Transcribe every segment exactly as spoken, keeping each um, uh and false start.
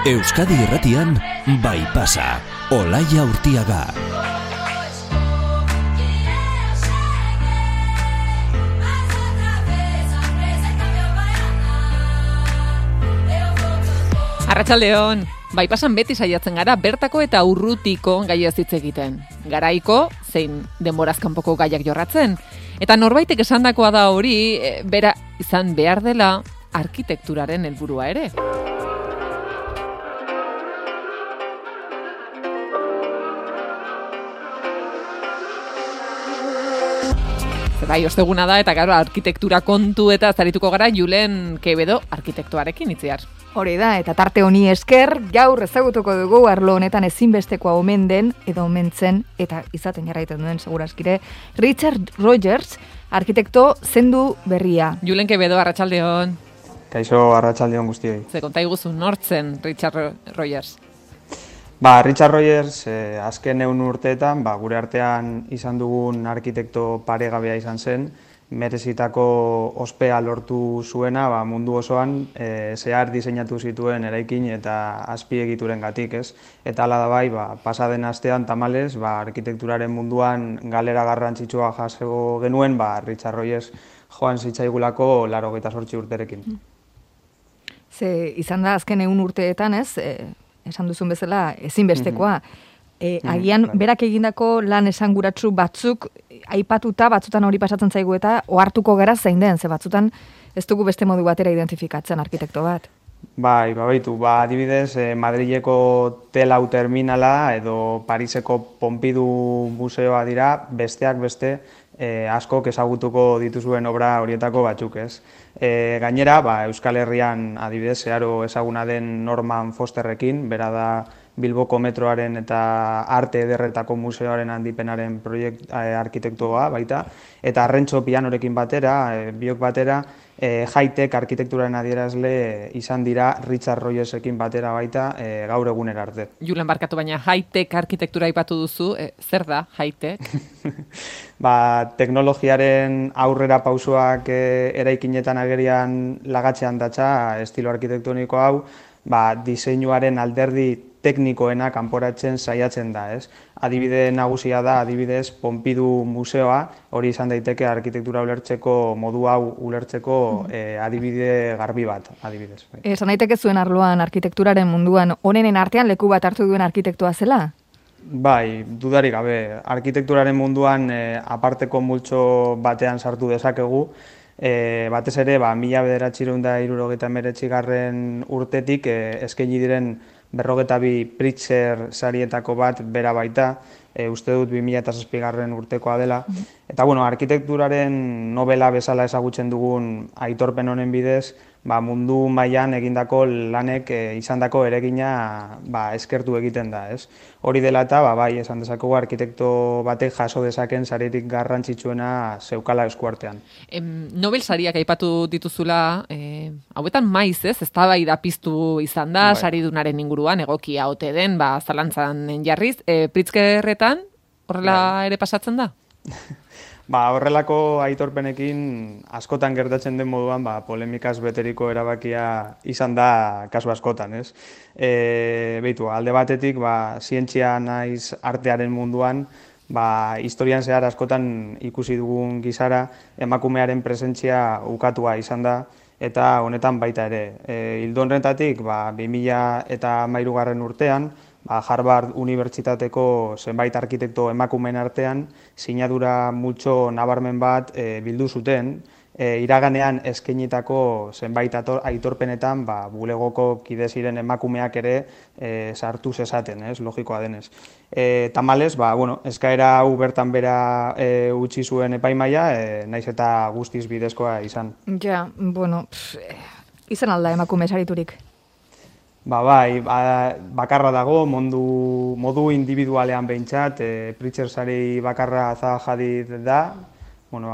Euskadi Irratian, Bai Pasa, Olaia Urtiaga. Arratsaldeon, Bai Pasan beti saiatzen gara bertako eta urrutiko gaiez hitz egiten. Garaiko, zein denboraz kanpoko gaiak jorratzen. Eta norbaitek esandakoa da hori, e, bera izan behar dela arkitekturaren helburua ere. Bai, osteguna da eta gero arkitektura kontu eta zarituko gara Julen Quevedo arkitektoarekin itziar. Hori da, eta tarte honi esker, gaur ezagutuko dugu arlo honetan ezinbestekoa omen den, edo omentzen, eta izaten jarraiten duen segurazkire, Richard Rogers, arkitekto zendu berria. Julen Quevedo, arratsaldeon. Kaixo, arratsaldeon guztioi. Ze konta iguzu nortzen Richard Rogers? Ba, Richard Rogers, eh, azken ehun urteetan, ba, gure artean izan dugun arkitekto paregabea izan zen, merezitako ospea lortu zuena ba, mundu osoan e, zehar diseinatu zituen eraikin eta azpiegiturengatik, ez? Eta hala da bai, ba, pasaden astean tamalez, ba, arkitekturaren munduan galera garrantzitsua jaso genuen, ba, Richard Rogers joan zitzaigulako laurogeita zortzi urterekin. Ze izan da azken ehun urteetan, ez? E, esan duzun bezala ezinbestekoa. E, agian, berak egindako lan esanguratsu batzuk aipatuta, batzutan hori pasatzen zaigu eta ohartuko gara zein den, ze batzutan ez dugu beste modu batera identifikatzen arkitekto bat. Bai, babaitu, ba, adibidez, eh, Madrileko Telau terminala edo Pariseko Pompidou museoa dira, besteak beste eh, askok ezagutuko dituzuen obra horietako batzuk, ez. E, gainera, ba, Euskal Herrian adibidez, zeharo ezaguna den Norman Fosterrekin, bera da Bilboko metroaren eta arte ederretako museoaren handipenaren proiekt eh, arkitektoa baita, eta Arrentxo pianorekin batera, eh, biok batera, eh, high-tech arkitekturaren adierazle izan dira Richard Rogersekin batera baita eh, gaur egunera arte. Julen, barkatu, baina high-tech arkitektura aipatu duzu, eh, zer da high-tech? Ba, teknologiaren aurrera pausoak eh, eraikinetan agerian lagatzean datza estilo arkitektoniko hau, ba, diseinuaren alderdi teknikoena kanporatzen saiatzen da, ez? Adibide nagusia da, adibidez, Pompidou museoa, hori izan daiteke arkitektura ulertzeko, modu hau ulertzeko eh, adibide garbi bat, adibidez. Esan daiteke zuen arloan arkitekturaren munduan onenen artean leku bat hartu duen arkitektoa zela? Bai, dudarik gabe, arkitekturaren munduan eh, aparteko multzo batean sartu dezakegu, E, batez ere, ba, mila bederatziehun eta hirurogeita hemeretzigarren urtetik e, eskaini diren berrogeita bi Pritzker sarietako bat bera baita, e, uste dut bi mila zazpigarren urtekoa dela. Eta, bueno, arkitekturaren novela bezala ezagutzen dugun aitorpen honen bidez, ba, mundu mailan egindako lanek e, izandako eregina ba, eskertu egiten da, ez? Hori dela eta, ba, bai, esan dezakegu arkitekto batek jaso dezaken saririk garrantzitsuena zeukala eskuartean. Em, Nobel sariak aipatu dituzula, eh, hauetan maiz, ez? Eztabaida piztu izan da, bai. Saridunaren inguruan, egokia ote den, ba, zalantzan jarriz. E, Pritzkerretan, horrela bai. Ere pasatzen da? Ba, horrelako aitorpenekin askotan gertatzen den moduan ba, polemikaz beteriko erabakia izan da kasu askotan, ez? E, Beitu, alde batetik, ba, zientzia naiz artearen munduan, ba, historian zehar askotan ikusi dugun gizara, emakumearen presentzia ukatua izan da, eta honetan baita ere. E, Ildo honetatik, ba, bi mila hamairugarren urtean, Ba, Harvard Unibertsitateko zenbait arkitekto emakumeen artean sinadura multzo nabarmen bat e, bildu zuten, e, iraganean eskainitako zenbait aitorpenetan ba, bulegoko kide ziren emakumeak ere e, sartu zezaten, ez, logikoa denez. E, tamalez, ba, bueno, eskaera hau bertan bera e, utzi zuen epaimaia, e, naiz eta guztiz bidezkoa izan. Ja, bueno, pff, izan alda emakume sariturik. Ba, bai, ba, bakarra dago, mondu, modu individualean behintzat, e, Pritzker sari bakarra Zaha Hadid da, bueno,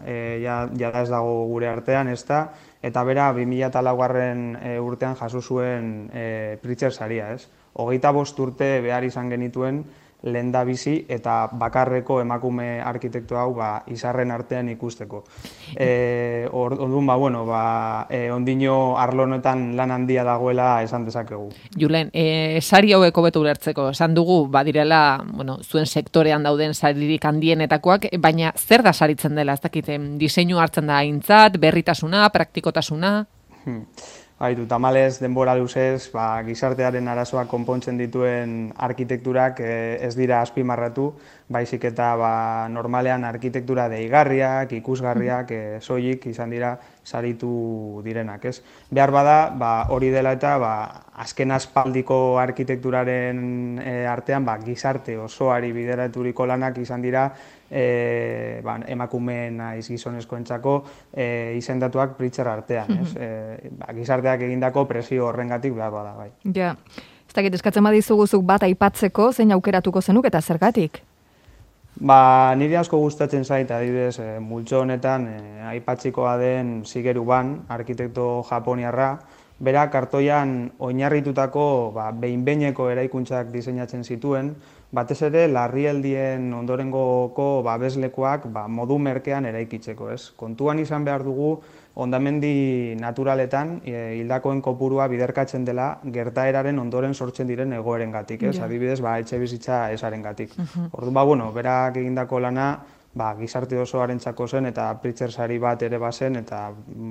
e, ja, ja ez dago gure artean, ez da, eta bera bi mila laugarren e, urtean jaso zuen e, Pritzker saria, ez? Hogeita bost urte behar izan genituen lehendabizi eta bakarreko emakume arkitekto hau ba, izarren artean ikusteko. E, Orduan, ba, bueno, ba, e, ondino arlo honetan lan handia dagoela esan dezakegu. Julen, e, sari hauek hobeto ulertzeko, esan dugu, badirela, bueno, zuen sektorean dauden saririk handienetakoak, baina zer da saritzen dela, ez dakit, diseinu hartzen da aintzat, berritasuna, praktikotasuna? Hmm. Baitu, tamalez denbora luzez, ba, gizartearen arazoak konpontzen dituen arkitekturak eh, ez dira azpimarratu, baizik eta ba, normalean arkitektura deigarriak, ikusgarriak, eh, soilik izan dira saritu direnak, ez? Behar bada, ba, hori dela eta ba, azken aspaldiko arkitekturaren eh, artean ba, gizarte osoari bideraturiko lanak izan dira E, ba, emakumeen naiz gizonezkoentzako e, izendatuak Pritzker artean, ez? E, ba, gizarteak egindako presio horrengatik behar bada, bai. Ja, ez dakit eskatzen badizuguzuk bat aipatzeko, zein aukeratuko zenuk eta zergatik? Ba, niri asko gustatzen zait, adibidez, e, multzo honetan e, aipatzikoa den Shigeru Ban, arkitekto japoniarra, bera kartoian oinarritutako ba, behin-behineko eraikuntzak diseinatzen zituen, batez ere larrialdien ondorengoko babeslekuak ba, modu merkean eraikitzeko, ez? Kontuan izan behar dugu hondamendi naturaletan e, hildakoen kopurua biderkatzen dela gertaeraren ondoren sortzen diren egoerengatik, ez? Yeah. Adibidez, ba, etxe bizitza esarengatik. Uh-huh. Orduan, ba, bueno, berak egindako lana ba, gizarte osoarentzako zen eta Pritzker sari bat ere bazen eta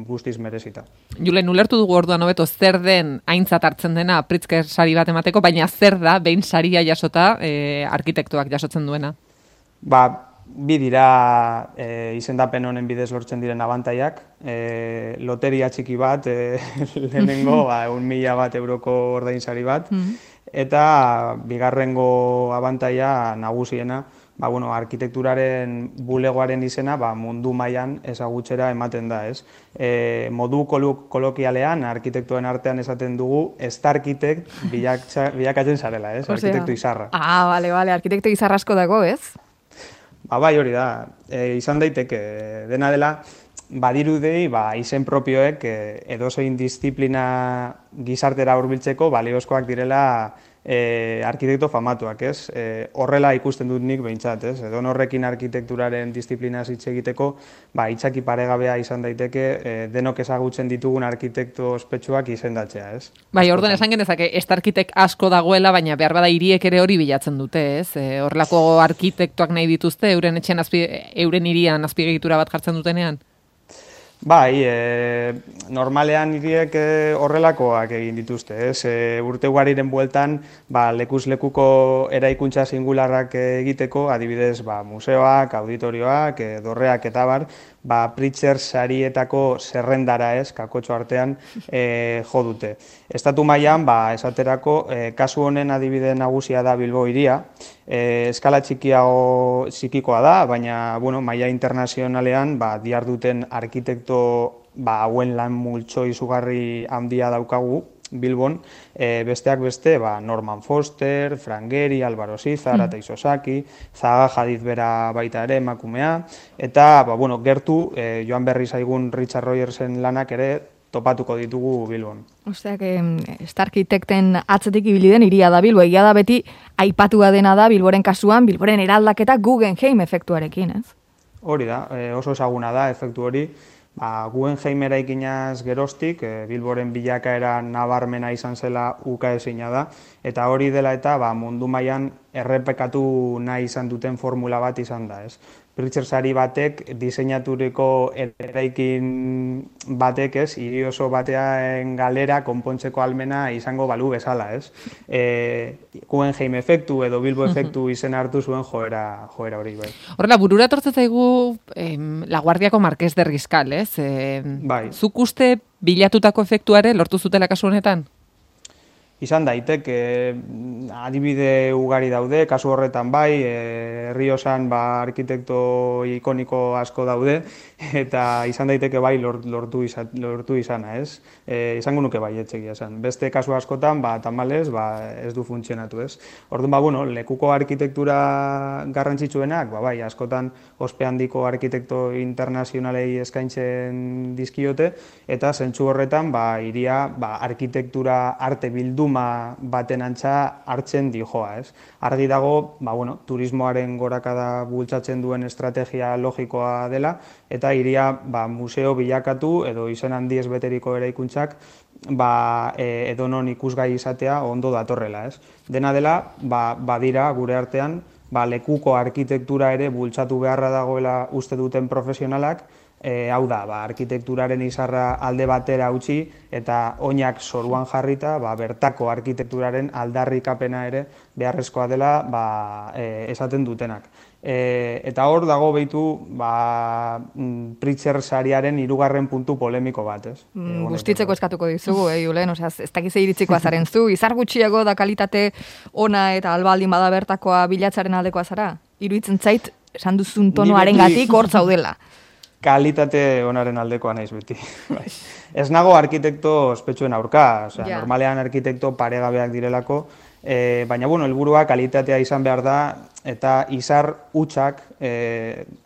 guztiz merezita. Julen, ulertu dugu orduan hobeto zer den aintzat hartzen dena Pritzker sari bat emateko, baina zer da behin saria jasota e, arkitektoak jasotzen duena? Ba, bi dira e, izendapen honen bidez lortzen diren abantaiak. E, loteria txiki bat, e, lehenengo ba, un mila bat euroko ordainsari bat, eta bigarrengo abantaia nagusiena, ba, bueno, arkitekturaren bulegoaren izena ba, mundu mailan ezagutzera ematen da, ez? E, modu kolokialean, arkitektoen artean esaten dugu, estarkitekt bilakatzen zarela, ez? Arkitekto izarra. Ah, bale, bale, arkitekto izarra asko dago, ez? Ba, bai, hori da. E, izan daiteke, dena dela, badirudei ba, izen propioek e, edozein disiplina gizartera hurbiltzeko baliozkoak direla E, arkitekto famatuak, ez? E, horrela ikusten dut nik behintzat, ez? Edo horrekin arkitekturaren disiplinaz hitz egiteko, ba, itzaki paregabea izan daiteke e, denok ezagutzen ditugun arkitekto ospetsuak izendatzea, ez? Bai, orduan esan genezake, ez arkitek asko dagoela, baina behar bada hiriek ere hori bilatzen dute, ez? E, horrelako arkitektoak nahi dituzte, euren etxen azpi, euren hirian azpiegitura bat jartzen dutenean? Bai, e, normalean hiriek e, horrelakoak egin dituzte, ez? E, urte ugariren bueltan, ba, lekuz lekuko eraikuntza singularrak egiteko, adibidez, ba, museoak, auditorioak, e, dorreak eta bar, ba, Pritzker sarietako zerrendara, ez, kakotxo artean e, jo dute. Estatu mailan, ba, esaterako, e, kasu honen adibide nagusia da Bilbo hiria, e, eskala txikiago txikikoa da, baina, bueno, maila internazionalean, ba, diharduten arkitekto ba, hauen lan multzo izugarri handia daukagu Bilbon, e, besteak beste, ba, Norman Foster, Frank Gehry, Álvaro Siza, Arata Isozaki, Zaha Hadid bera baita ere emakumea, eta ba, bueno, gertu e, joan berri zaigun Richard Rogersen lanak ere topatuko ditugu Bilbon. Osteak, estarkitekten atzetik ibili den hiria da Bilbo, egia da beti aipatua dena da Bilboren kasuan, Bilboren eraldaketa Guggenheim efektuarekin, ez? Hori da, e, oso ezaguna da efektu hori. Ba, Guggenheim eraikinaz geroztik, e, Bilboren bilakaera nabarmena izan zela ukaezina da, eta hori dela eta ba, mundu mailan errepekatu nahi izan duten formula bat izan da, ez? Pritzker sari batek diseinaturiko eraikin batek, ez, hiri oso batean galera konpontzeko almena izango balu bezala, ez? E, Guggenheim efektu edo Bilbo efektu izen hartu zuen joera, joera hori, bai. Horrela, burura tortzen zaigu em, Laguardiako Marqués de Riscal, ez? E, bai. Zuk uste bilatutako efektuare lortu zutela kasu honetan? Izan daiteke, adibide ugari daude, kasu horretan bai, e, Herriosan ba, arkitekto ikoniko asko daude, eta izan daiteke bai lortu, izan, lortu izana, ez? E, izango nuke bai etxegia esan. Beste kasu askotan, ba, tamalez, ba, ez du funtzionatu, ez? Orduan, ba, bueno, lekuko arkitektura garrantzitsuenak, ba, bai, askotan ospe handiko arkitekto internazionalei eskaintzen dizkiote, eta zentzu horretan, ba, hiria, ba, arkitektura arte bilduma bilduma baten antza hartzen dijoa, ez? Argi dago, ba, bueno, turismoaren gorakada bultzatzen duen estrategia logikoa dela, eta hiria ba, museo bilakatu edo izen handiez beteriko eraikuntzak ba, e, edonon ikusgai izatea ondo datorrela, ez? Dena dela, ba, badira gure artean, ba, lekuko arkitektura ere bultzatu beharra dagoela uste duten profesionalak, e, hau da, ba, arkitekturaren izarra alde batera utzi eta oinak zoruan jarrita, ba, bertako arkitekturaren aldarrikapena ere beharrezkoa dela ba, e, esaten dutenak. E, eta hor dago behitu ba, Pritzker sariaren hirugarren puntu polemiko bat, ez? Mm, Gustitzeko eskatuko dizugu, eh, Julen, osea, ez dakize iritzikoa zaren zu, izar gutxiago da kalitate ona eta albaldin bada bertakoa bilatzaren aldekoa zara? Iruditzen zait, esan duzun tonoaren gatik hor zaudela. Kalitate onaren aldekoa naiz beti. Ez nago arkitekto ospetsuen aurka, osea, ja. Normalean arkitekto paregabeak direlako, e, baina bueno, helburua kalitatea izan behar da, eta izar hutsak e,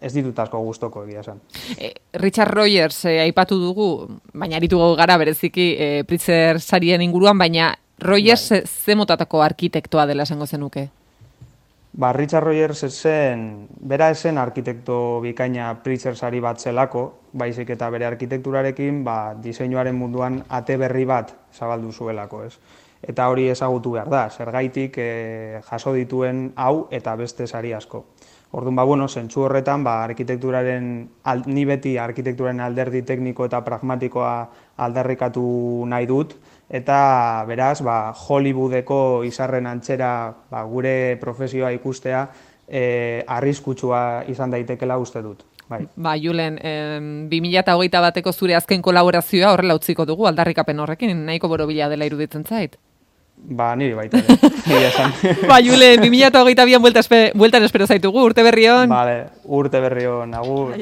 ez ditut asko gustoko egia esan. E, Richard Rogers e, aipatu dugu, baina aritu gara bereziki e, Pritzker sarien inguruan, baina Rogers bai. Ze motatako arkitektoa dela esango zenuke? Ba, Richard Rogers zen, bera esen arkitekto bikaina Pritzker sari bat zelako, baizik eta bere arkitekturarekin ba, diseinuaren munduan ate berri bat zabaldu zuelako, ez? Eta hori ezagutu behar da, zergaitik e, jaso dituen hau eta beste sari asko. Orduan, ba, bueno, zentzu horretan, ba, arkitekturaren, al, ni beti arkitekturaren alderdi tekniko eta pragmatikoa aldarrikatu nahi dut, eta beraz, ba, Hollywoodeko izarren antzera ba, gure profesioa ikustea e, arriskutsua izan daitekela uste dut. Bai. Ba, Julen, eh, bi mila hogeita bateko zure azken kolaborazioa horrela utziko dugu, aldarrikapen horrekin, nahiko borobila dela iruditzen zait. Ba, niri baita ere, niri esan. Ba, Julen, bi mila hogeita bian bueltan espero zaitugu, urte berri on. Vale, urte berri on, agur.